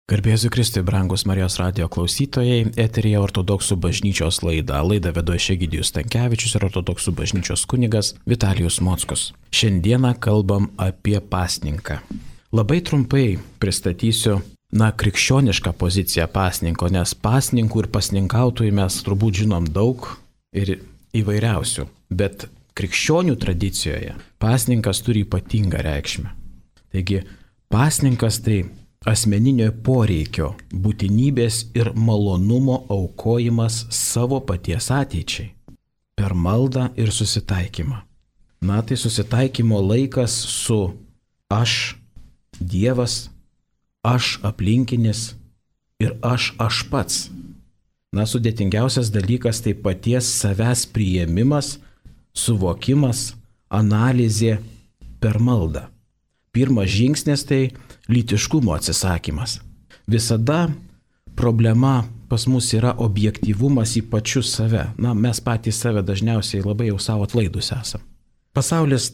Garbėsiu Kristui, brangus Marijos radijo klausytojai, eteryje Ortodoksų bažnyčios laida. Laidą vedu Egidijus Stankevičius ir Ortodoksų bažnyčios kunigas Vitalijus Mockus. Šiandieną kalbam apie pasninką. Labai trumpai pristatysiu, krikščionišką poziciją pasninko, nes pasninkų ir pasninkautojų mes turbūt žinom daug ir įvairiausių, bet krikščionių tradicijoje pasninkas turi ypatingą reikšmę. Taigi, pasninkas tai asmeninio poreikio, būtinybės ir malonumo aukojimas savo paties ateičiai per maldą ir susitaikymą. Tai susitaikymo laikas su aš, Dievas, aš aplinkinis ir aš pats. Sudėtingiausias dalykas tai paties savęs priėmimas, suvokimas, analizė per maldą. Pirmas žingsnis tai lytiškumo atsisakymas. Visada problema pas mus yra objektyvumas į pačius save. Mes patys save dažniausiai labai jau savo atlaidus esam. Pasaulis,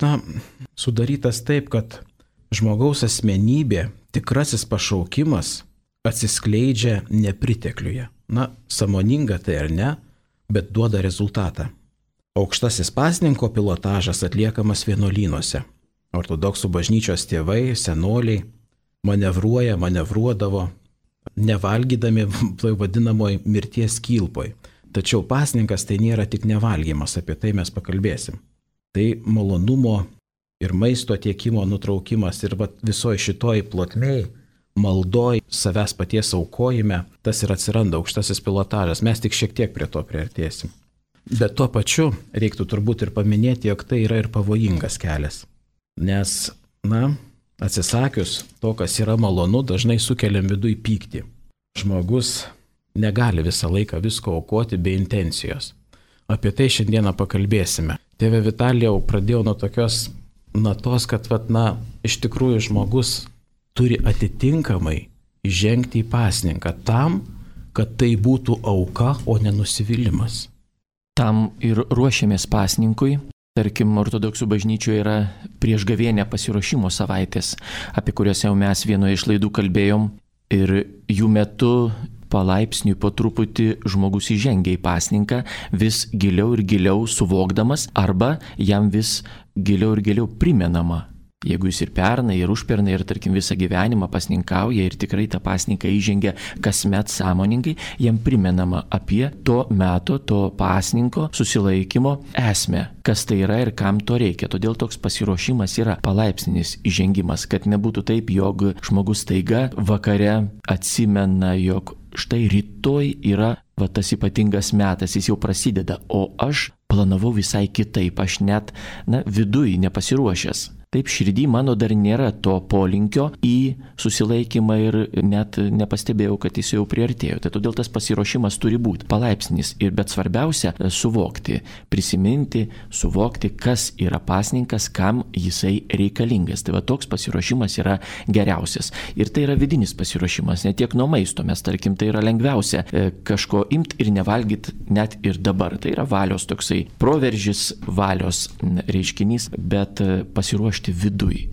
sudarytas taip, kad žmogaus asmenybė, tikrasis pašaukimas atsiskleidžia nepritekliuje. Sąmoninga tai ar ne, bet duoda rezultatą. Aukštasis pasninko pilotažas atliekamas vienuolynuose. Ortodoksų bažnyčios tėvai, senoliai manevruodavo, nevalgydami vadinamoj mirties kilpoj. Tačiau pasninkas tai nėra tik nevalgymas, apie tai mes pakalbėsim. Tai malonumo ir maisto tiekimo nutraukimas ir visoje šitoj plotmėj, maldoj, savęs paties aukojime, tas ir atsiranda aukštasis pilotažas. Mes tik šiek tiek prie to priartėsim. Bet tuo pačiu reiktų turbūt ir paminėti, jog tai yra ir pavojingas kelias. Nes, atsisakius to, kas yra malonu, dažnai sukeliam viduj pyktį. Žmogus negali visą laiką visko aukoti be intencijos. Apie tai šiandieną pakalbėsime. Tėve Vitalijau, pradėjau nuo tokios natos, kad, iš tikrųjų žmogus turi atitinkamai įžengti į pasninką tam, kad tai būtų auka, o ne nusivylimas. Tam ir ruošiamės pasninkui. Tarkim, ortodoksų bažnyčioje yra priešgavėnė pasiruošimo savaitės, apie kurias jau mes vienoje iš laidų kalbėjom, ir jų metu palaipsniui po truputį žmogus įžengia į pasninką, vis giliau ir giliau suvokdamas, arba jam vis giliau ir giliau primenama. Jeigu jis ir pernai, ir užpernai, ir tarkim visą gyvenimą pasninkauja ir tikrai tą pasninką įžengia kasmet sąmoningai, jam primenama apie to meto, to pasninko susilaikymo esmę, kas tai yra ir kam to reikia. Todėl toks pasiruošimas yra palaipsninis įžengimas, kad nebūtų taip, jog žmogus staiga vakare atsimena, jog štai rytoj yra tas ypatingas metas, jis jau prasideda, o aš planavau visai kitaip, aš net viduj nepasiruošęs. Taip, širdį mano dar nėra to polinkio į susilaikymą ir net nepastebėjau, kad jis jau priartėjo. Tai todėl tas pasiruošimas turi būti palaipsnis, bet svarbiausia suvokti, prisiminti, suvokti, kas yra pasninkas, kam jisai reikalingas. Tai toks pasiruošimas yra geriausias. Ir tai yra vidinis pasiruošimas, ne tiek nuo maisto. Mes, tarkim, tai yra lengviausia kažko imti ir nevalgyti net ir dabar. Tai yra valios toksai proveržis, valios reiškinys, bet pasiruošti viduj,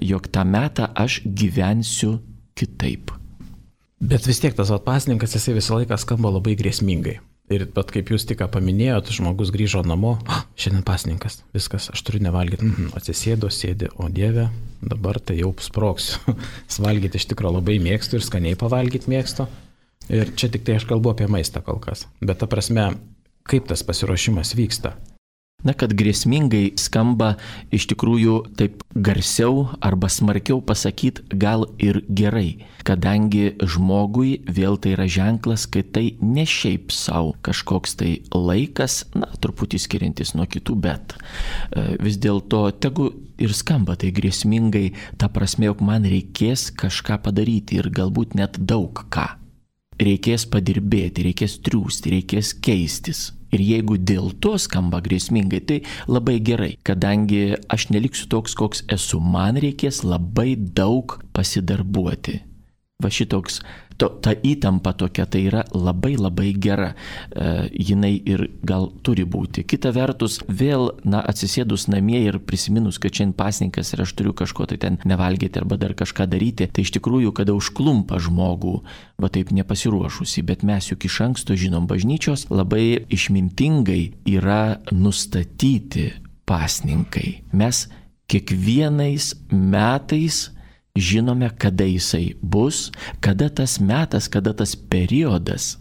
jog tą metą aš gyvensiu kitaip. Bet vis tiek tas pasninkas, jisai visą laiką skamba labai grėsmingai. Ir kaip jūs tik paminėjot, žmogus grįžo namo, šiandien pasninkas, viskas, aš turiu nevalgyti. Atsisėdo, sėdi, o Dieve, dabar tai jau sprogsiu. Valgyti iš tikrųjų labai mėgstu ir skaniai pavalgyti mėgstu. Ir čia tik tai aš kalbu apie maistą kol kas. Bet ta prasme, kaip tas pasiruošimas vyksta? Kad grėsmingai skamba iš tikrųjų taip garsiau arba smarkiau pasakyti gal ir gerai, kadangi žmogui vėl tai yra ženklas, kad tai ne šiaip savo kažkoks tai laikas, truputį skiriantis nuo kitų, bet vis dėlto tegu ir skamba tai grėsmingai, ta prasme, jog man reikės kažką padaryti ir galbūt net daug ką. Reikės padirbėti, reikės triūsti, reikės keistis. Ir jeigu dėl to skamba grėsmingai, tai labai gerai, kadangi aš neliksiu toks, koks esu, man reikės labai daug pasidarbuoti. va šitoks, ta įtampa tokia, tai yra labai labai gera, jinai ir gal turi būti. Kita vertus, vėl, atsisėdus namie ir prisiminus, kad šiandien pasninkas ir aš turiu kažko tai ten nevalgyti arba dar kažką daryti, tai iš tikrųjų, kada užklumpa žmogų, va taip nepasiruošusi, bet mes juk iš anksto žinom, bažnyčios labai išmintingai yra nustatyti pasninkai. Mes kiekvienais metais žinome, kada jisai bus, kada tas metas, kada tas periodas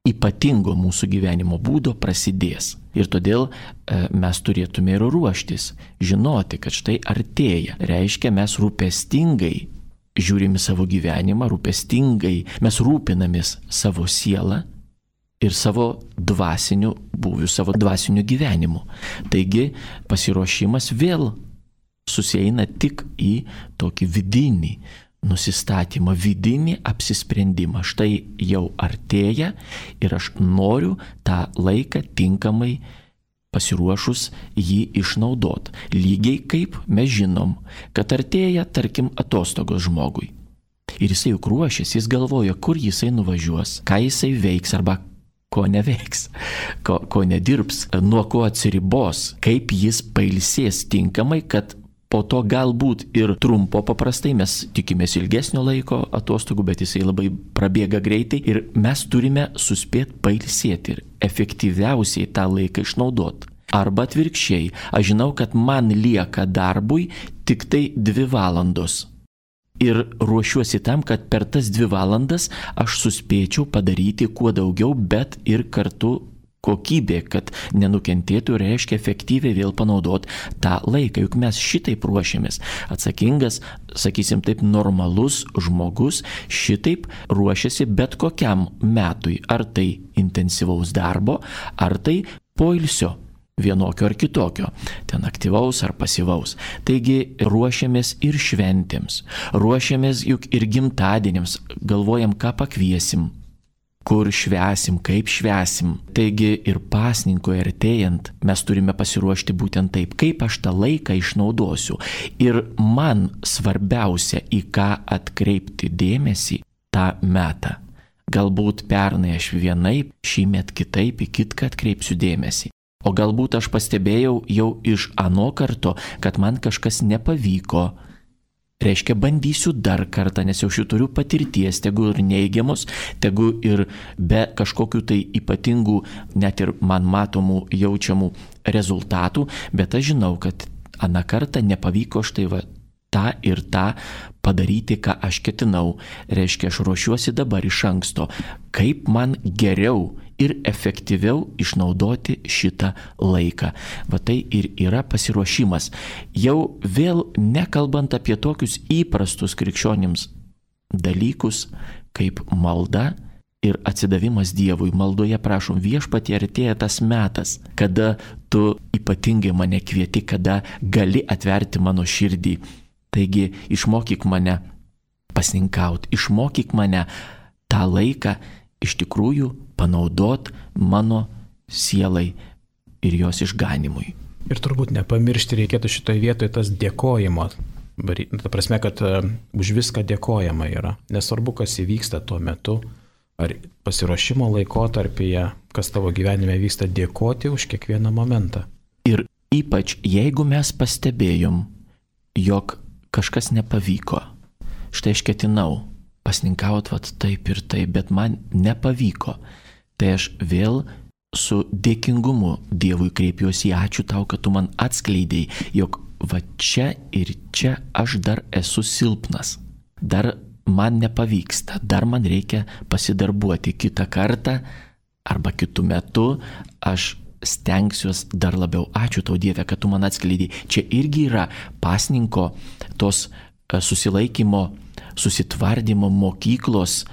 ypatingo mūsų gyvenimo būdo prasidės. Ir todėl mes turėtume ir ruoštis, žinoti, kad štai artėja. Reiškia, mes rūpestingai žiūrime savo gyvenimą, rūpestingai mes rūpinamės savo sielą ir savo dvasiniu būviu, savo dvasiniu gyvenimu. Taigi pasiruošimas vėl susieina tik į tokį vidinį nusistatymą, vidinį apsisprendimą. Štai jau artėja ir aš noriu tą laiką tinkamai pasiruošus jį išnaudoti. Lygiai kaip mes žinom, kad artėja, tarkim, atostogos žmogui. Ir jisai juk ruošiasi, jis galvoja, kur jisai nuvažiuos, ką jisai veiks arba ko neveiks, ko nedirbs, nuo ko atsiribos, kaip jis pailsės tinkamai, kad po to galbūt ir trumpo, paprastai mes tikimės ilgesnio laiko atostogų, bet jisai labai prabėga greitai ir mes turime suspėti pailsėti ir efektyviausiai tą laiką išnaudoti. Arba atvirkščiai, aš žinau, kad man lieka darbui tik tai 2 valandos. Ir ruošiuosi tam, kad per tas 2 valandas aš suspėčiau padaryti kuo daugiau, bet ir kartu kokybė, kad nenukentėtų, reiškia efektyviai vėl panaudoti tą laiką. Juk mes šitaip ruošiamės. Atsakingas, sakysim taip, normalus žmogus šitaip ruošiasi bet kokiam metui. Ar tai intensyvaus darbo, ar tai poilsio. Vienokio ar kitokio, ten aktyvaus ar pasyvaus. Taigi ruošiamės ir šventėms, ruošiamės juk ir gimtadieniams, galvojam, ką pakviesim, kur švęsim, kaip švęsim. Taigi ir pasninkui artėjant mes turime pasiruošti būtent taip, kaip aš tą laiką išnaudosiu. Ir man svarbiausia, į ką atkreipti dėmesį tą metą. Galbūt pernai aš vienaip, šįmet kitaip, į kitką atkreipsiu dėmesį. O galbūt aš pastebėjau jau iš ano karto, kad man kažkas nepavyko. Reiškia, bandysiu dar kartą, nes jau šituriu patirties, tegu ir neigiamos, tegu ir be kažkokių tai ypatingų, net ir man matomų, jaučiamų rezultatų, bet aš žinau, kad aną kartą nepavyko štai tą ir tą padaryti, ką aš ketinau. Reiškia, aš ruošiuosi dabar iš anksto, kaip man geriau ir efektyviau išnaudoti šitą laiką. Va tai ir yra pasiruošimas. Jau vėl nekalbant apie tokius įprastus krikščionims dalykus, kaip malda ir atsidavimas Dievui. Maldoje prašom, Viešpatie, artėja tas metas, kada tu ypatingai mane kvieti, kada gali atverti mano širdį. Taigi išmokyk mane pasninkauti, išmokyk mane tą laiką iš tikrųjų panaudot mano sielai ir jos išganimui. Ir turbūt nepamiršti reikėtų šitoje vietoje tas dėkojimo. Ta prasme, kad už viską dėkojama yra. Nesvarbu, kas įvyksta tuo metu, ar pasiruošimo laikotarpyje, kas tavo gyvenime vyksta, dėkoti už kiekvieną momentą. Ir ypač jeigu mes pastebėjom, jog kažkas nepavyko. Štai aš ketinau pasninkauti taip ir taip, bet man nepavyko. Tai aš vėl su dėkingumu Dievui kreipiuosi, ačiū tau, kad tu man atskleidėjai, jog va čia ir čia aš dar esu silpnas. Dar man nepavyksta, dar man reikia pasidarbuoti kitą kartą arba kitų metų, aš stengsiuos dar labiau. Ačiū tau, Dieve, kad tu man atskleidai. Čia irgi yra pasninko tos susilaikymo, susitvardymo mokyklos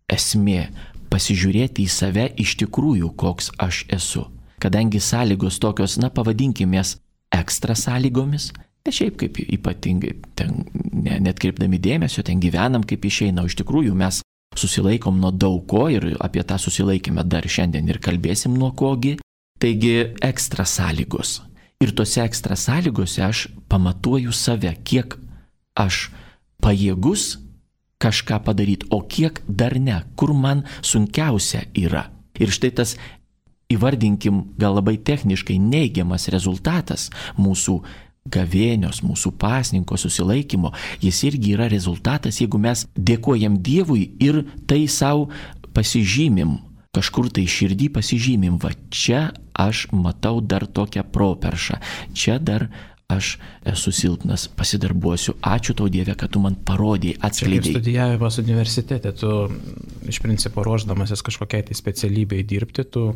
esmė. Pasižiūrėti į save iš tikrųjų, koks aš esu. Kadangi sąlygos tokios, pavadinkimės ekstra sąlygomis, ne šiaip kaip ypatingai, ten net kreipdami dėmesio, ten gyvenam kaip išeina, o iš tikrųjų mes susilaikom nuo daug ko ir apie tą susilaikymą dar šiandien ir kalbėsim nuo kogi. Taigi ekstra sąlygos. Ir tose ekstra sąlygose aš pamatuoju save, kiek aš pajėgus kažką padaryti, o kiek dar ne, kur man sunkiausia yra. Ir štai tas, įvardinkim, gal labai techniškai neigiamas rezultatas mūsų gavėnios, mūsų pasninko susilaikymo, jis irgi yra rezultatas, jeigu mes dėkojam Dievui ir tai savo pasižymim, kažkur tai širdį pasižymim, va čia aš matau dar tokią properšą, čia dar aš esu silpnas, pasidarbuosiu, ačiū tau Dieve, kad tu man parodėjai, atskleidėjai. Kaip studijavimas universitete, tu iš principo ruošdamasis kažkokiai tai specialybei dirbti, tu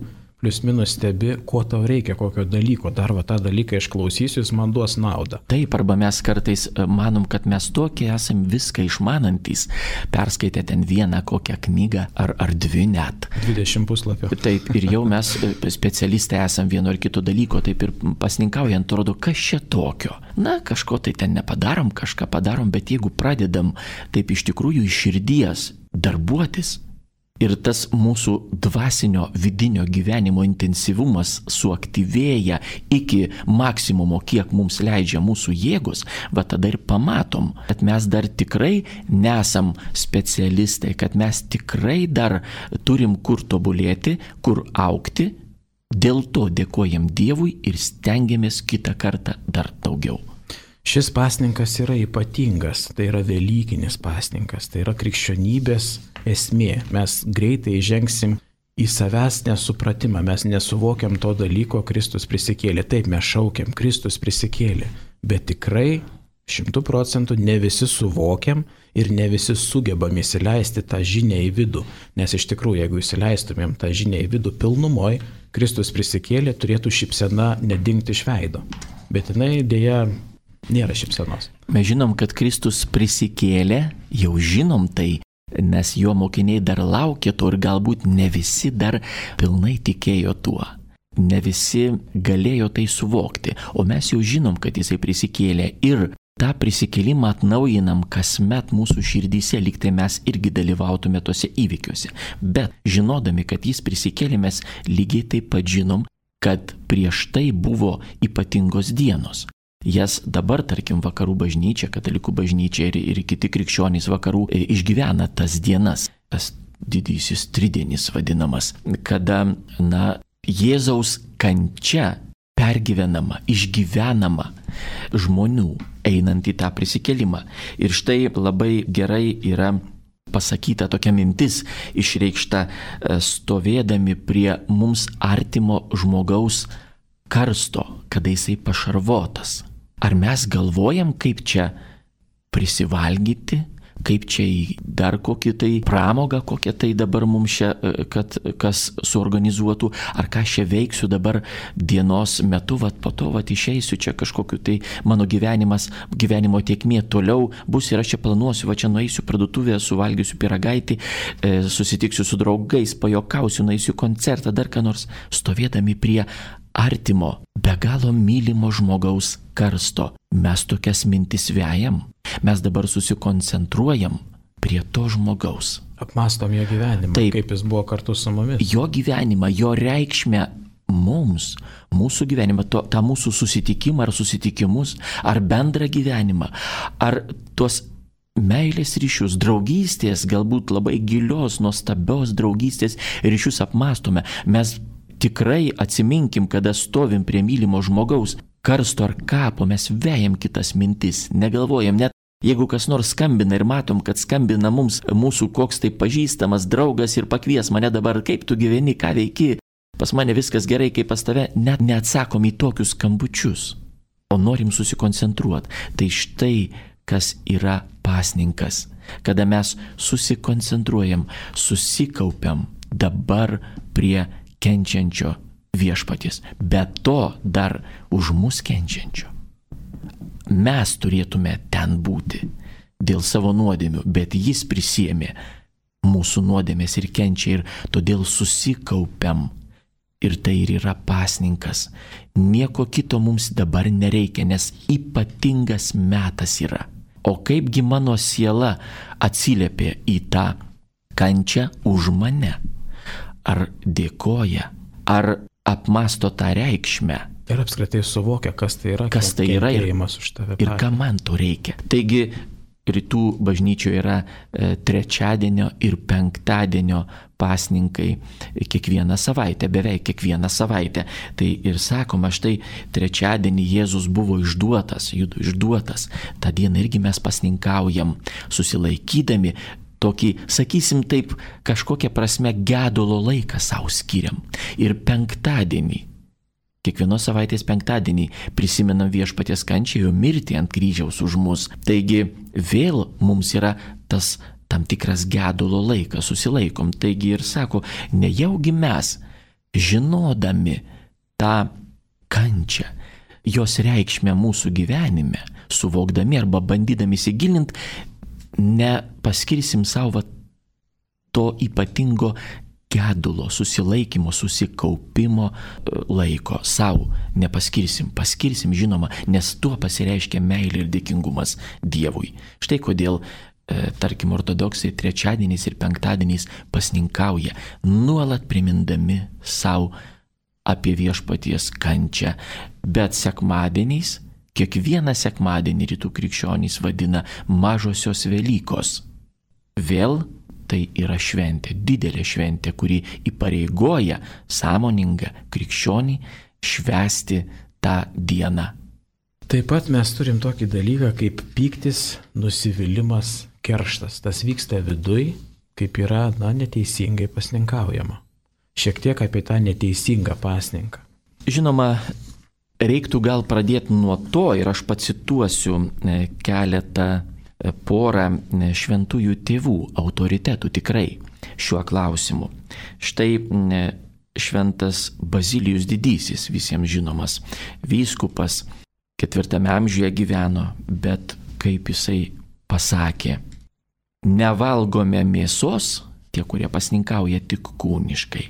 plius minus stebi, ko tau reikia, kokio dalyko, dar va tą dalyką išklausysiu, jis man duos naudą. Taip, arba mes kartais manom, kad mes tokie esam viską išmanantys, perskaitę ten vieną kokią knygą ar dvi net. 20 puslapių. Taip, ir jau mes specialistai esam vieno ar kito dalyko, taip ir pasninkaujant, atrodo, kas čia tokio. Na, kažko tai ten nepadarom, kažką padarom, bet jeigu pradedam taip iš tikrųjų iš širdies darbuotis, ir tas mūsų dvasinio vidinio gyvenimo intensyvumas suaktyvėja iki maksimumo, kiek mums leidžia mūsų jėgos, va tada ir pamatom, kad mes dar tikrai nesam specialistai, kad mes tikrai dar turim kur tobulėti, kur augti, dėl to dėkojam Dievui ir stengiamės kitą kartą dar daugiau. Šis pasninkas yra ypatingas, tai yra velykinis pasninkas, tai yra krikščionybės esmė. Mes greitai žengsim į savęs nesupratimą, mes nesuvokiam to dalyko, Kristus prisikėlė. Taip, mes šaukiam, Kristus prisikėlė, bet tikrai 100% ne visi suvokiam ir ne visi sugebam įsileisti tą žinią į vidų. Nes iš tikrųjų, jeigu įsileistumėm tą žinią į vidų pilnumoj, Kristus prisikėlė, turėtų šypsena nedingti iš veido. Bet jinai dėja nėra šypsenos. Mes žinom, kad Kristus prisikėlė, jau žinom tai, nes jo mokiniai dar laukė to ir galbūt ne visi dar pilnai tikėjo tuo. Ne visi galėjo tai suvokti, o mes jau žinom, kad jisai prisikėlė ir tą prisikėlimą atnaujinam kasmet mūsų širdyse, lyg tai mes irgi dalyvautume tose įvykiuose. Bet žinodami, kad jis prisikėlė, mes lygiai taip pat žinom, kad prieš tai buvo ypatingos dienos. Jas dabar, tarkim, vakarų bažnyčia, katalikų bažnyčia ir kiti krikščionys vakarų išgyvena tas dienas, tas didysis tridienis vadinamas, kada, Jėzaus kančia pergyvenama, išgyvenama žmonių einant į tą prisikėlimą. Ir štai labai gerai yra pasakyta tokia mintis, išreikšta stovėdami prie mums artimo žmogaus karsto, kada jisai pašarvotas. Ar mes galvojam, kaip čia prisivalgyti, kaip čia į dar kokį tai pramogą, kokią tai dabar mums čia, kad kas suorganizuotų, ar ką čia veiksiu dabar dienos metu, po to išeisiu čia kažkokiu tai mano gyvenimo tėkmė toliau bus ir aš čia planuosiu, čia nueisiu parduotuvėje, suvalgysiu pyragaitį, susitiksiu su draugais, pajokausiu, nueisiu koncertą, dar ką nors, stovėdami prie artimo, be galo mylimo žmogaus karsto. Mes tokias mintis vejam, mes dabar susikoncentruojam prie to žmogaus. Apmastom jo gyvenimą, taip, kaip jis buvo kartu su mumis. Jo gyvenimą, jo reikšmę mums, mūsų gyvenimą, tą mūsų susitikimą ar susitikimus, ar bendrą gyvenimą, ar tuos meilės ryšius, draugystės, galbūt labai gilios, nuostabios draugystės ryšius apmastome. Mes tikrai atsiminkim, kada stovim prie mylimo žmogaus karsto ar kapo, mes vejam kitas mintis, negalvojam, net jeigu kas nors skambina ir matom, kad skambina mums mūsų koks tai pažįstamas draugas ir pakvies mane dabar, kaip tu gyveni, ką veiki, pas mane viskas gerai, kaip pas tave, net neatsakom į tokius skambučius, o norim susikoncentruoti. Tai štai kas yra pasninkas, kada mes susikoncentruojam, susikaupiam dabar prie kenčiančio viešpaties, bet to dar už mus kenčiančio. Mes turėtume ten būti dėl savo nuodėmių, bet jis prisiėmė mūsų nuodėmės ir kenčia ir todėl susikaupiam. Ir tai ir yra pasninkas. Nieko kito mums dabar nereikia, nes ypatingas metas yra. O kaipgi mano siela atsiliepė į tą kančią už mane? Ar dėkoja, ar apmasto tą reikšmę? Ir apskritai suvokia, kas tai yra, kas tai yra už tave. Ir ką man to reikia. Taigi rytų bažnyčioje yra trečiadienio ir penktadienio pasninkai kiekvieną savaitę, beveik kiekvieną savaitę. Tai ir sakoma, štai trečiadienį Jėzus buvo išduotas, tą dieną irgi mes pasninkaujam, susilaikydami tokį, sakysim taip, kažkokią prasme gedulo laiką savo skiriam. Ir penktadienį, kiekvienos savaitės penktadienį prisimenam Viešpaties kančią, jo mirtį ant kryžiaus už mus. Taigi vėl mums yra tas tam tikras gedulo laikas, susilaikom. Taigi ir sako, nejaugi mes, žinodami tą kančią, jos reikšmę mūsų gyvenime, suvokdami arba bandydami įsigilinti, nepaskirsim savo to ypatingo gedulo, susilaikymo, susikaupimo laiko savo nepaskirsim, paskirsim žinoma, nes tuo pasireiškia meilė ir dėkingumas Dievui. Štai kodėl, tarkim, ortodoksai trečiadieniais ir penktadieniais pasninkauja, nuolat primindami savo apie Viešpaties kančią, bet sekmadieniais, kiekvieną sekmadienį rytų krikščionys vadina mažosios Velykos. Vėl tai yra šventė, didelė šventė, kuri įpareigoja sąmoningą krikščionį švęsti tą dieną. Taip pat mes turim tokį dalyką kaip pyktis, nusivylimas, kerštas. Tas vyksta viduj, kaip yra, neteisingai pasninkaujama. Šiek tiek apie tą neteisingą pasninką. Žinoma, reiktų gal pradėti nuo to ir aš pacituosiu keletą porą šventųjų tėvų autoritetų tikrai šiuo klausimu. Štai šventas Bazilijus Didysis, visiems žinomas vyskupas, 4 amžiuje gyveno, bet kaip jisai pasakė, nevalgome mėsos, tie, kurie pasninkauja tik kūniškai,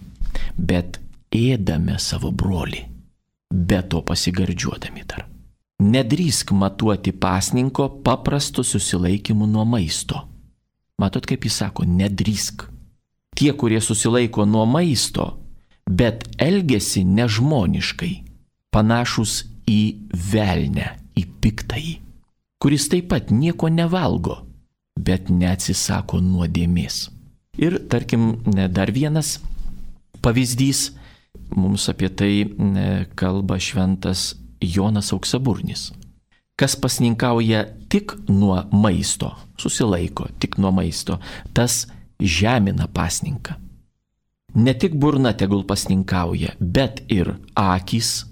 bet ėdame savo brolį, be to pasigardžiuodami dar. Nedrįsk matuoti pasninko paprastu susilaikymu nuo maisto. Matot, kaip jis sako, nedrįsk. Tie, kurie susilaiko nuo maisto, bet elgesi nežmoniškai, panašus į velnę, į piktąjį, kuris taip pat nieko nevalgo, bet neatsisako nuodėmės. Ir tarkim, dar vienas pavyzdys, mums apie tai kalba šventas Jonas Auksaburnis. Kas pasninkauja tik nuo maisto, susilaiko tik nuo maisto, tas žemina pasninką. Ne tik burna tegul pasninkauja, bet ir akys,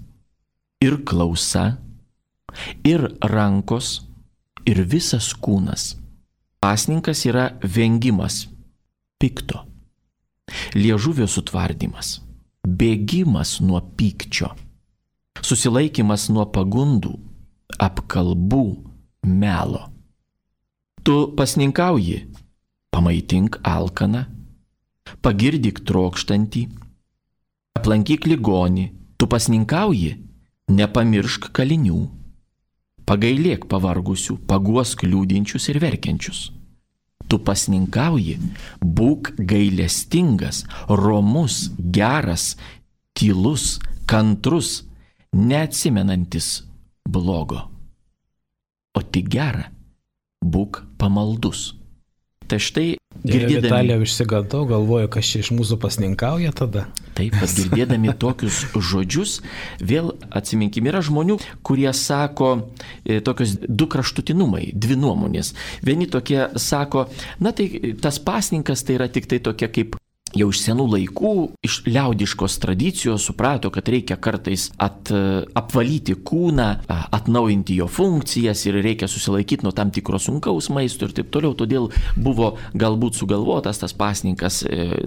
ir klausa, ir rankos, ir visas kūnas. Pasninkas yra vengimas pikto, liežuvio sutvardymas, bėgimas nuo pykčio, susilaikymas nuo pagundų, apkalbų, melo. Tu pasninkauji, pamaitink alkaną, pagirdyk trokštantį, aplankyk ligonį, tu pasninkauji, nepamiršk kalinių, pagailėk pavargusių, paguosk liūdinčius ir verkiančius. Tu pasninkauji, būk gailestingas, romus, geras, tylus, kantrus, neatsimenantis blogo, o tik gera, būk pamaldus. Tai štai girdėdami... Vitalijau išsigandau, galvoju, kas čia iš mūsų pasninkauja tada. Taip, pat girdėdami tokius žodžius, vėl atsiminkim, yra žmonių, kurie sako tokios du kraštutinumai, dvi nuomonės. Vieni tokie sako, tai tas pasninkas tai yra tik tai tokia kaip jau iš senų laikų, iš liaudiškos tradicijos suprato, kad reikia kartais apvalyti kūną, atnaujinti jo funkcijas ir reikia susilaikyti nuo tam tikro sunkaus maisto ir taip toliau. Todėl buvo galbūt sugalvotas tas pasninkas,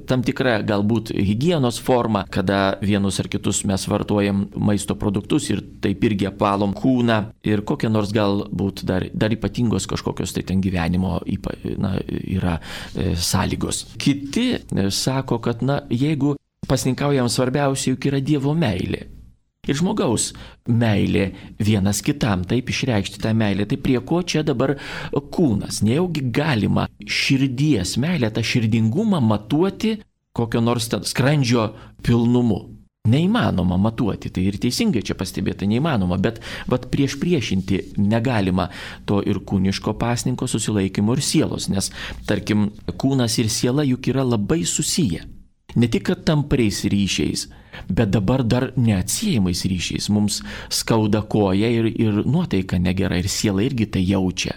tam tikra galbūt higienos forma, kada vienus ar kitus mes vartojam maisto produktus ir taip irgi apvalom kūną ir kokie nors galbūt dar ypatingos kažkokios tai ten gyvenimo yra sąlygos. Kiti sako, kad jeigu pasninkaujam, svarbiausia juk yra Dievo meilė. Ir žmogaus meilė vienas kitam, taip išreikšti tą meilę. Tai prie ko čia dabar kūnas? Nejaugi galima širdies meilę, tą širdingumą matuoti kokio nors skrandžio pilnumu. Neįmanoma matuoti, tai ir teisingai čia pastebėta, neįmanoma, bet priešinti negalima to ir kūniško pasninko, susilaikymo ir sielos, nes, tarkim, kūnas ir siela juk yra labai susiję. Ne tik kad tampriais ryšiais, bet dabar dar neatsiejamais ryšiais. Mums skauda koja ir nuotaika negera, ir siela irgi tai jaučia.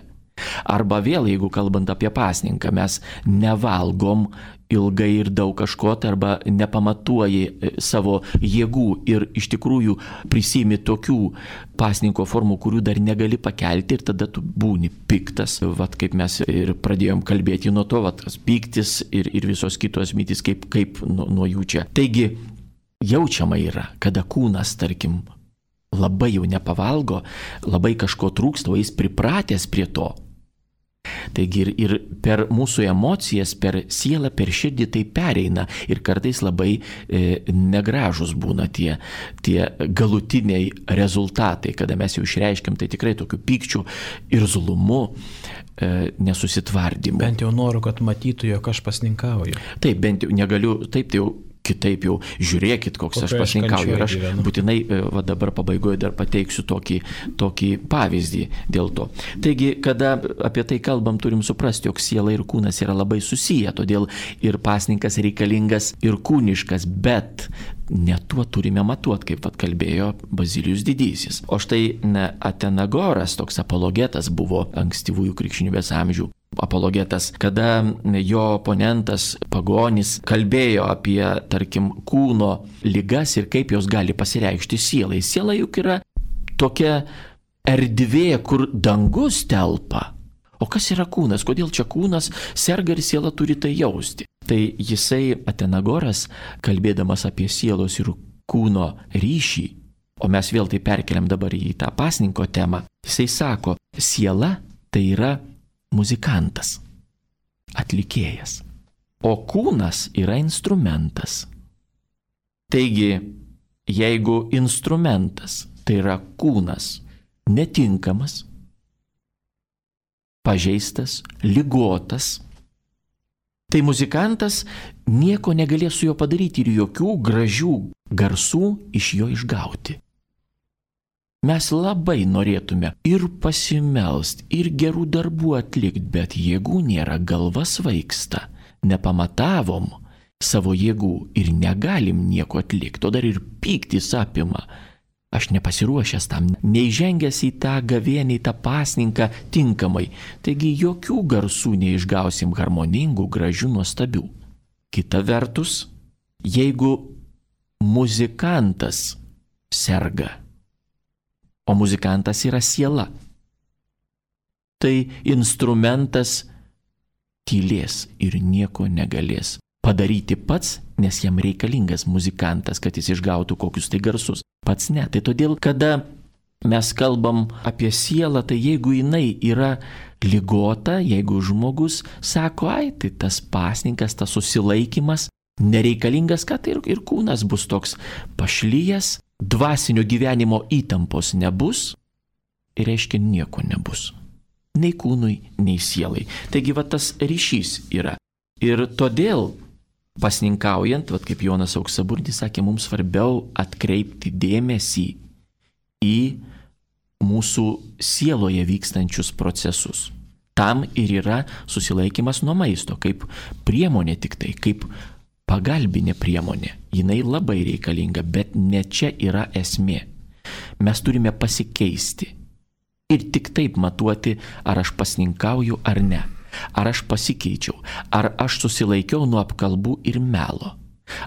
Arba vėl, jeigu kalbant apie pasninką, mes nevalgom ilgai ir daug kažko, arba nepamatuoji savo jėgų ir iš tikrųjų prisimi tokių pasninko formų, kurių dar negali pakelti, ir tada tu būni piktas. Kaip mes ir pradėjom kalbėti nuo to, pyktis ir visos kitos mintys, kaip nuo jų čia. Taigi, jaučiama yra, kada kūnas, tarkim, labai jau nepavalgo, labai kažko trūksta, o jis pripratęs prie to. Taigi ir per mūsų emocijas, per sielą, per širdį tai pereina ir kartais labai negražus būna tie galutiniai rezultatai, kada mes jau išreiškiam tai tikrai tokiu pykčiu ir zulumu, nesusitvardymu. Bent jau noriu, kad matytų, jog aš pasninkauju. Taip, bent jau negaliu, taip tai jau kitaip jau žiūrėkit, koks aš pasninkauju. Ir aš būtinai dabar pabaigoje dar pateiksiu tokį pavyzdį dėl to. Taigi, kada apie tai kalbam, turim suprasti, jog siela ir kūnas yra labai susiję, todėl ir pasninkas reikalingas ir kūniškas, bet ne tuo turime matuoti, kaip kalbėjo Bazilijus Didysis. O štai Atenagoras, toks apologetas buvo ankstyvųjų krikščionybės amžių. Apologetas, kada jo oponentas pagonis kalbėjo apie, tarkim, kūno ligas ir kaip jos gali pasireikšti sielai. Siela juk yra tokia erdvė, kur dangus telpa. O kas yra kūnas? Kodėl čia kūnas serga ir siela turi tai jausti? Tai jisai, Atenagoras, kalbėdamas apie sielos ir kūno ryšį, o mes vėl tai perkeliam dabar į tą pasninko temą, jisai sako, siela tai yra muzikantas, atlikėjas, o kūnas yra instrumentas. Taigi, jeigu instrumentas, tai yra kūnas, netinkamas, pažeistas, ligotas, tai muzikantas nieko negalės su juo padaryti ir jokių gražių garsų iš jo išgauti. Mes labai norėtume ir pasimelst, ir gerų darbų atlikti, bet jėgų nėra, galva svaigsta, nepamatavom savo jėgų ir negalim nieko atlikti, o dar ir pyktis apima. Aš nepasiruošęs tam, neįžengęs į tą gavienį, į tą pasninką tinkamai, taigi jokių garsų neišgausim harmoningų, gražių, nuostabių. Kita vertus, jeigu muzikantas serga, o muzikantas yra siela, tai instrumentas tylės ir nieko negalės padaryti pats, nes jam reikalingas muzikantas, kad jis išgautų kokius tai garsus. Pats ne. Tai todėl, kada mes kalbam apie sielą, tai jeigu jinai yra ligota, jeigu žmogus sako, tai tas pasninkas, tas susilaikimas nereikalingas, kad ir kūnas bus toks pašlyjas, dvasinio gyvenimo įtampos nebus ir reiškia nieko nebus. Nei kūnui, nei sielai. Taigi tas ryšys yra. Ir todėl pasninkaujant, kaip Jonas Auksaburdis sakė, mums svarbiau atkreipti dėmesį į mūsų sieloje vykstančius procesus. Tam ir yra susilaikimas nuo maisto, kaip priemonė tik tai, kaip pagalbinė priemonė. Jinai labai reikalinga, bet ne čia yra esmė. Mes turime pasikeisti ir tik taip matuoti, ar aš pasninkauju ar ne. Ar aš pasikeičiau, ar aš susilaikiau nuo apkalbų ir melo,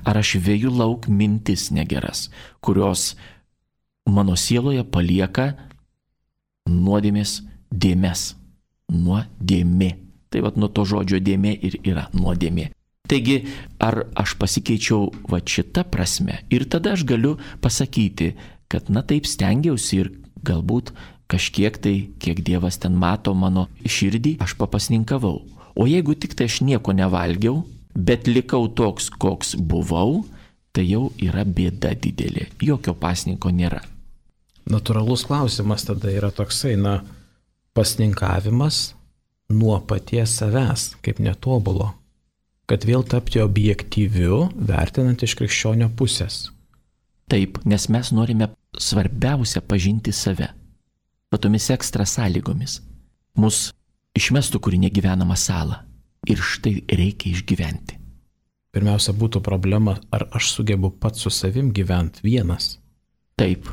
ar aš veju lauk mintis negeras, kurios mano sieloje palieka nuodėmės dėmes, nuodėmė. Tai nuo to žodžio dėmė ir yra nuodėmė. Taigi, ar aš pasikeičiau šitą prasme ir tada aš galiu pasakyti, kad taip stengiausi ir galbūt kažkiek tai, kiek Dievas ten mato mano širdį, aš papasninkavau. O jeigu tik tai aš nieko nevalgiau, bet likau toks, koks buvau, tai jau yra bėda didelė. Jokio pasninko nėra. Natūralus klausimas tada yra toksai, pasninkavimas nuo paties savęs, kaip netobulo, kad vėl tapti objektyviu, vertinant iš krikščionio pusės. Taip, nes mes norime svarbiausia pažinti save. Tomis ekstra sąlygomis. Mus išmestų kur negyvenamą salą. Ir štai reikia išgyventi. Pirmiausia būtų problema, ar aš sugebu pats su savim gyventi vienas. Taip.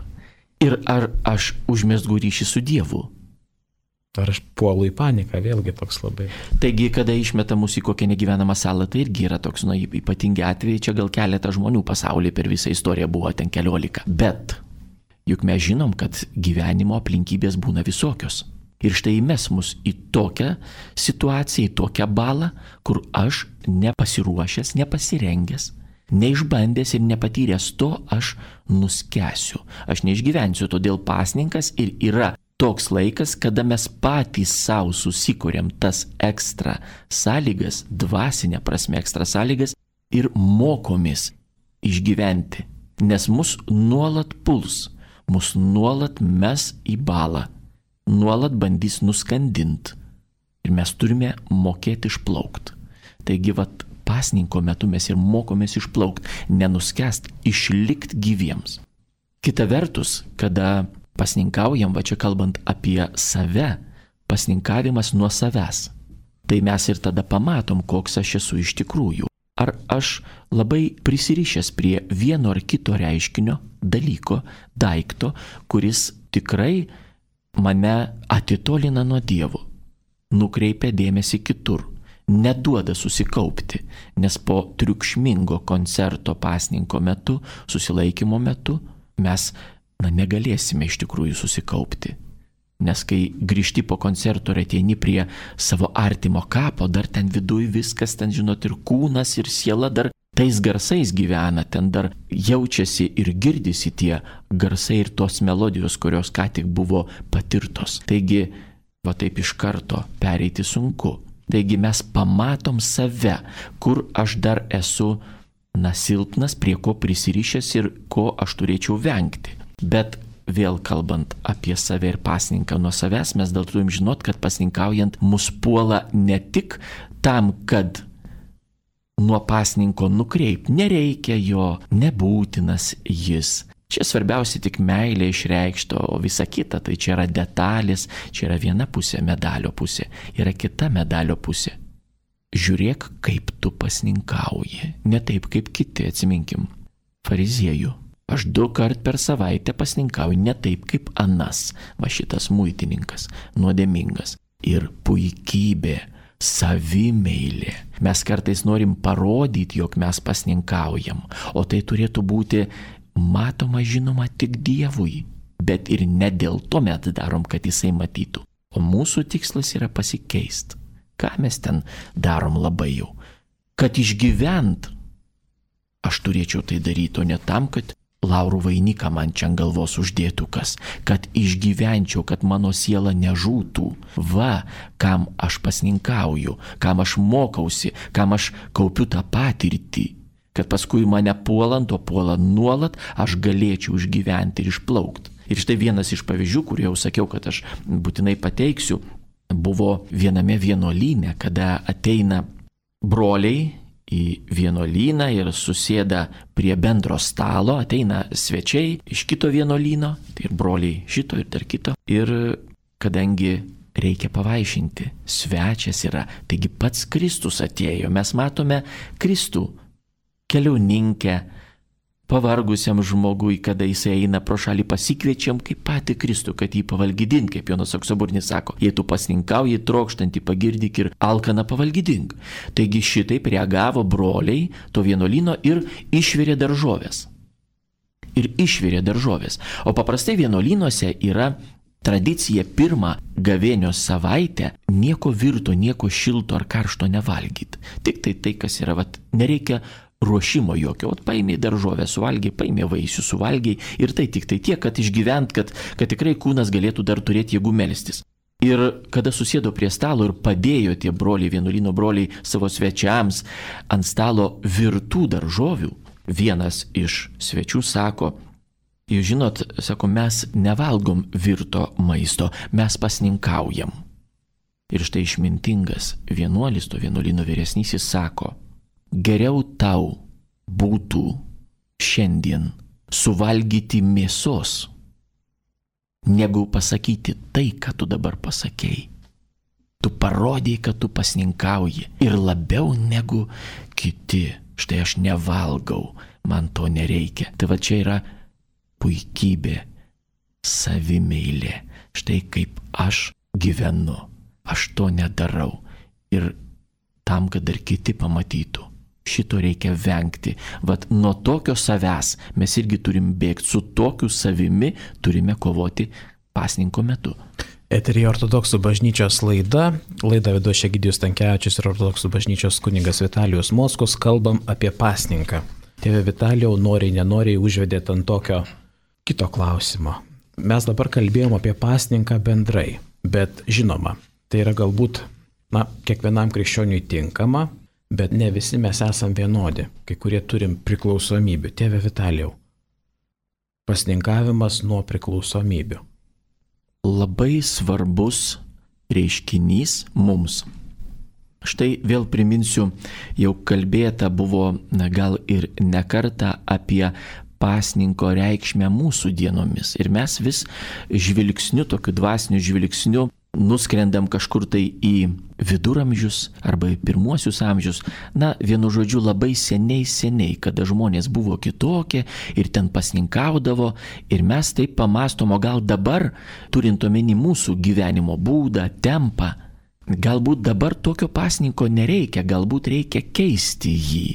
Ir ar aš užmesgu ryšį su Dievu. Ar aš puolu į paniką, vėlgi toks labai. Taigi, kada išmeta mus į kokią negyvenamą salą, tai irgi yra toks, ypatingi atvejai, čia gal keletą žmonių pasaulyje per visą istoriją buvo, ten 14. Bet juk mes žinom, kad gyvenimo aplinkybės būna visokios. Ir štai įmes mus į tokią situaciją, į tokią balą, kur aš nepasiruošęs, nepasirengęs, neišbandęs ir nepatyręs to, aš nuskęsiu. Aš neišgyvensiu, todėl pasninkas ir yra toks laikas, kada mes patys savo susikuriam tas ekstra sąlygas, dvasinė prasme ekstra sąlygas ir mokomės išgyventi. Nes mus nuolat puls, mus nuolat mes į balą, nuolat bandys nuskandinti. Ir mes turime mokėti išplaukti. Taigi, pasninko metu mes ir mokomės išplaukti, nenuskęst, išlikti gyviems. Kita vertus, kada pasninkaujam, čia kalbant apie save, pasninkavimas nuo savęs. Tai mes ir tada pamatom, koks aš esu iš tikrųjų. Ar aš labai prisirišęs prie vieno ar kito reiškinio, dalyko, daikto, kuris tikrai mane atitolina nuo Dievo, nukreipia dėmesį kitur, neduoda susikaupti, nes po triukšmingo koncerto pasninko metu, susilaikymo metu, mes negalėsime iš tikrųjų susikaupti. Nes kai grįžti po koncerto ir ateini prie savo artimo kapo, dar ten viduj viskas, ten ir kūnas, ir siela dar tais garsais gyvena, ten dar jaučiasi ir girdisi tie garsai ir tos melodijos, kurios ką tik buvo patirtos. Taigi, taip iš karto pereiti sunku. Taigi mes pamatom save, kur aš dar esu silpnas, prie ko prisirišęs ir ko aš turėčiau vengti. Bet vėl kalbant apie save ir pasninką nuo savęs, mes dėl turim žinot, kad pasninkaujant mus puola ne tik tam, kad nuo pasninko nukreipti, nereikia jo, nebūtinas jis. Čia svarbiausia tik meilė išreikšto, o visa kita, tai čia yra detalės, čia yra viena pusė medalio pusė, yra kita medalio pusė. Žiūrėk, kaip tu pasninkauji, ne taip kaip kiti, atsiminkim, fariziejų. Aš 2 kart per savaitę pasninkauju, ne taip kaip anas, šitas muitininkas, nuodėmingas. Ir puikybė, savimeilė. Mes kartais norim parodyti, jog mes pasninkaujam, o tai turėtų būti matoma, žinoma tik Dievui, bet ir ne dėl to mes darom, kad jisai matytų. O mūsų tikslas yra pasikeisti. Ką mes ten darom labai jau? Kad išgyvent, aš turėčiau tai daryti, o ne tam, kad laurų vainiką man čia ant galvos uždėtų kas, kad išgyvenčiau, kad mano siela nežūtų. Kam aš pasninkauju, kam aš mokausi, kam aš kaupiu tą patirtį, kad paskui mane puolant, o puolant nuolat, aš galėčiau išgyventi ir išplaukti. Ir štai vienas iš pavyzdžių, kurį jau sakiau, kad aš būtinai pateiksiu, buvo viename vienuolyne, kada ateina broliai į vienuolyną ir susėda prie bendro stalo, ateina svečiai iš kito vienuolyno, tai ir broliai šito ir dar kito. Ir kadangi reikia pavaišinti, svečias yra, taigi pats Kristus atėjo, mes matome Kristų keliauninkę, pavargusiam žmogui, kada jisai eina pro šalį, pasikviečiam kaip patį Kristų, kad jį pavalgydink, kaip Jonas Auksaburnis sako. Jei tu pasninkauji, trokštantį pagirdyk ir alkaną pavalgydink. Taigi šitaip reagavo broliai to vienuolyno ir išvirė daržovės. O paprastai vienuolynuose yra tradicija pirmą gavėnios savaitę nieko virto, nieko šilto ar karšto nevalgyti. Tik tai, kas yra, nereikia ruošimo jokio, paėmė daržovę suvalgiai, paėmė vaisių suvalgiai ir tai tik tai tiek, kad išgyvent, kad tikrai kūnas galėtų dar turėti jėgų melstis. Ir kada susėdo prie stalo ir padėjo tie broliai, vienuolyno broliai savo svečiams ant stalo virtų daržovių, vienas iš svečių sako, jūs žinot, sako, mes nevalgom virto maisto, mes pasninkaujam. Ir štai išmintingas vienuolis, to vienuolyno vyresnysis sako, geriau tau būtų šiandien suvalgyti mėsos, negu pasakyti tai, ką tu dabar pasakėjai. Tu parodėjai, kad tu pasninkauji ir labiau negu kiti. Štai aš nevalgau, man to nereikia. Tai va čia yra puikybė, savimeilė. Štai kaip aš gyvenu, aš to nedarau. Ir tam, kad dar kiti pamatytų, šito reikia vengti. Vat nuo tokio savęs mes irgi turim bėgti, su tokiu savimi turime kovoti pasninko metu. Eteryje Ortodoksų bažnyčios laida. Laidą vedu Egidijus Stankevičius ir Ortodoksų bažnyčios kunigas Vitalijus Mockus. Kalbam apie pasninką. Tėve Vitalijau, noriai nenoriai užvedėt ant tokio kito klausimo. Mes dabar kalbėjom apie pasninką bendrai, bet žinoma, tai yra galbūt, kiekvienam krikščioniui tinkama, bet ne visi mes esam vienodi, kai kurie turim priklausomybių. Tėve Vitalijau, pasninkavimas nuo priklausomybių. Labai svarbus reiškinys mums. Štai vėl priminsiu, jau kalbėta buvo gal ir ne kartą apie pasninko reikšmę mūsų dienomis. Ir mes vis žvilgsniu, tokiu dvasiniu žvilgsniu, nuskrendam kažkur tai į viduramžius arba į pirmuosius amžius. Vienu žodžiu, labai seniai, kada žmonės buvo kitokie ir ten pasninkaudavo. Ir mes taip pamąstom, o gal dabar, turint omeny mūsų gyvenimo būdą, tempą, galbūt dabar tokio pasninko nereikia, galbūt reikia keisti jį.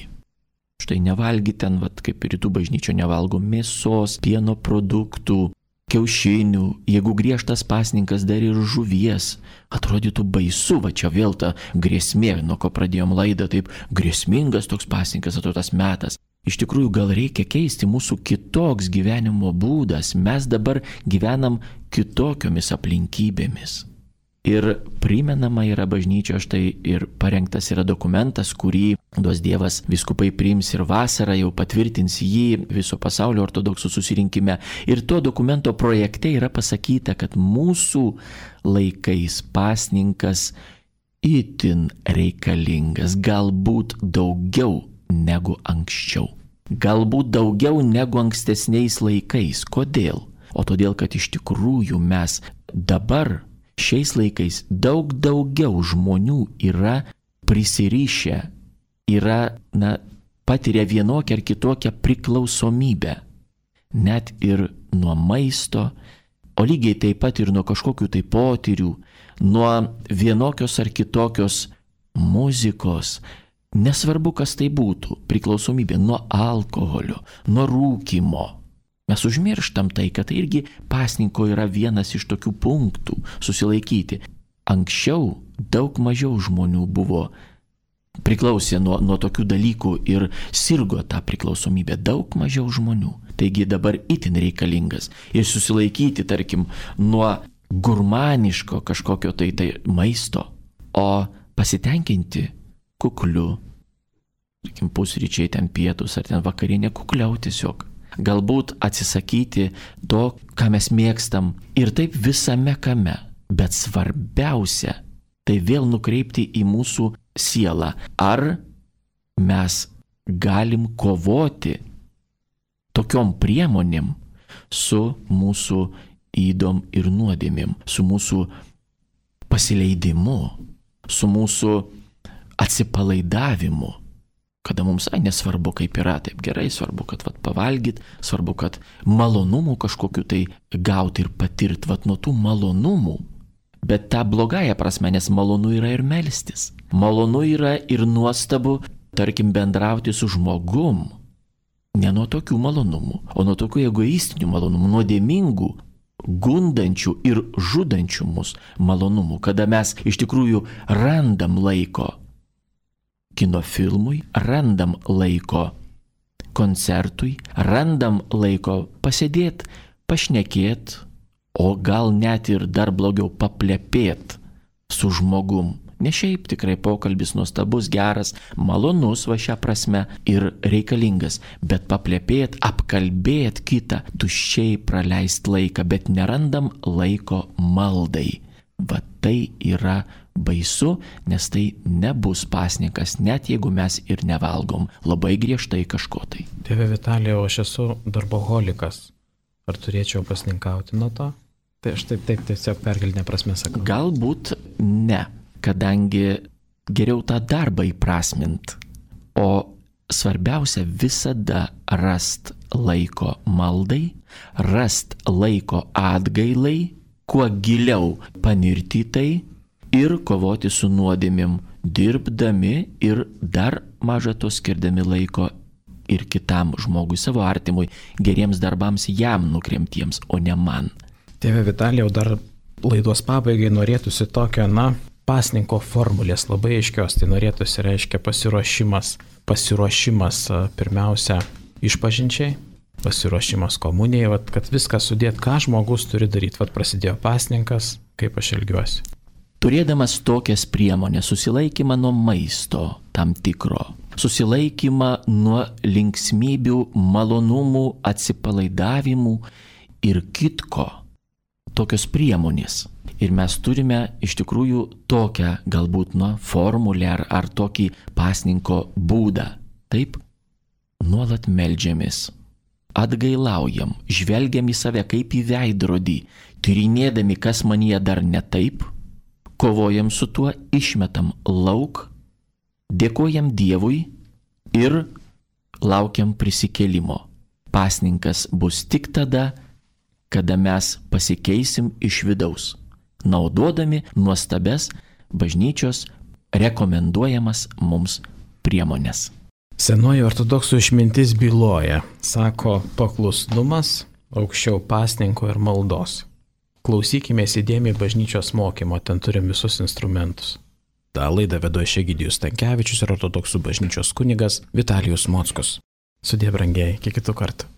Štai nevalgyti ten, kaip rytų bažnyčio nevalgo mėsos, pieno produktų, kiaušinių, jeigu griežtas pasninkas dar ir žuvies, atrodytų baisu, čia vėl ta grėsmė, nuo ko pradėjom laidą, taip grėsmingas toks pasninkas, atrodo tas metas. Iš tikrųjų, gal reikia keisti mūsų kitoks gyvenimo būdas, mes dabar gyvenam kitokiomis aplinkybėmis. Ir primenama yra bažnyčio, štai ir parengtas yra dokumentas, kurį duos Dievas vyskupai priims ir vasarą jau patvirtins jį viso pasaulio ortodoksų susirinkime. Ir to dokumento projekte yra pasakyta, kad mūsų laikais pasninkas itin reikalingas, galbūt daugiau negu anksčiau. Galbūt daugiau negu ankstesniais laikais. Kodėl? O todėl, kad iš tikrųjų mes dabar šiais laikais daug daugiau žmonių yra prisirišę, patiria vienokią ar kitokią priklausomybę. Net ir nuo maisto, o lygiai taip pat ir nuo kažkokių tai potyrių, nuo vienokios ar kitokios muzikos. Nesvarbu, kas tai būtų, priklausomybė nuo alkoholio, nuo rūkymo. Mes užmirštam tai, kad tai irgi pasninko yra vienas iš tokių punktų susilaikyti. Anksčiau daug mažiau žmonių buvo priklausę nuo tokių dalykų ir sirgo tą priklausomybę. Daug mažiau žmonių. Taigi dabar itin reikalingas. Ir susilaikyti, tarkim, nuo gurmaniško kažkokio tai maisto, o pasitenkinti kukliu. Tarkim, pusryčiai, ten pietus ar ten vakarienė, kukliau tiesiog. Galbūt atsisakyti to, ką mes mėgstam ir taip visame kame. Bet svarbiausia, tai vėl nukreipti į mūsų sielą. Ar mes galim kovoti tokiom priemonėm su mūsų ydom ir nuodėmėm, su mūsų pasileidimu, su mūsų atsipalaidavimu. Kada mums nesvarbu, kaip yra, taip gerai, svarbu, kad pavalgyt, svarbu, kad malonumų kažkokiu tai gauti ir patirti, nuo tų malonumų. Bet tą blogąją prasme, nes malonu yra ir melstis. Malonu yra ir nuostabu, tarkim, bendrauti su žmogum. Ne nuo tokių malonumų, o nuo tokių egoistinių malonumų, nuodėmingų, gundančių ir žudančių mus malonumų, kada mes iš tikrųjų randam laiko kino filmui, randam laiko koncertui, randam laiko pasėdėti, pašnekėti, o gal net ir dar blogiau paplepėti su žmogum. Ne šiaip tikrai pokalbis nuostabus, geras, malonus šią prasme ir reikalingas, bet paplepėti, apkalbėti kitą, tuščiai praleisti laiką, bet nerandam laiko maldai. Tai yra baisu, nes tai nebus pasninkas, net jeigu mes ir nevalgom labai griežtai kažko tai. Tėve Vitalijau, aš esu darboholikas. Ar turėčiau pasninkauti nuo to? Tai aš taip tiesiog perkeltinė prasme sakau. Galbūt ne, kadangi geriau tą darbą įprasmint, o svarbiausia visada rast laiko maldai, rast laiko atgailai, kuo giliau panirti tai ir kovoti su nuodėmėm, dirbdami ir dar maža to skirdami laiko ir kitam žmogui, savo artimui, geriems darbams jam nukremtiems, o ne man. Tėve Vitalijau, dar laidos pabaigai norėtųsi tokio, pasninko formulės labai aiškios, tai norėtųsi reiškia pasiruošimas pirmiausia išpažinčiai, pasiruošimas komunijai, kad viską sudėt, ką žmogus turi daryti, prasidėjo pasninkas, kaip aš elgiuosi. Turėdamas tokias priemonės, susilaikymą nuo maisto tam tikro, susilaikymą nuo linksmybių, malonumų, atsipalaidavimų ir kitko, tokios priemonės. Ir mes turime iš tikrųjų tokią galbūt formulę ar tokį pasninko būdą. Taip, nuolat meldžiamės, atgailaujam, žvelgiam į save kaip į veidrodį, tyrinėdami, kas manyje dar ne taip, kovojam su tuo, išmetam lauk, dėkojam Dievui ir laukiam prisikėlimo. Pasninkas bus tik tada, kada mes pasikeisim iš vidaus, naudodami nuostabes bažnyčios rekomenduojamas mums priemonės. Senoji ortodoksų išmintis byloja, sako, paklusnumas aukščiau pasninko ir maldos. Klausykime įdėmiai bažnyčios mokymo, ten turim visus instrumentus. Ta laidą vedu Egidijus Stankevičius ir ortodoksų bažnyčios kunigas Vitalijus Mockus. Sudie brangiai, iki kitų kartų.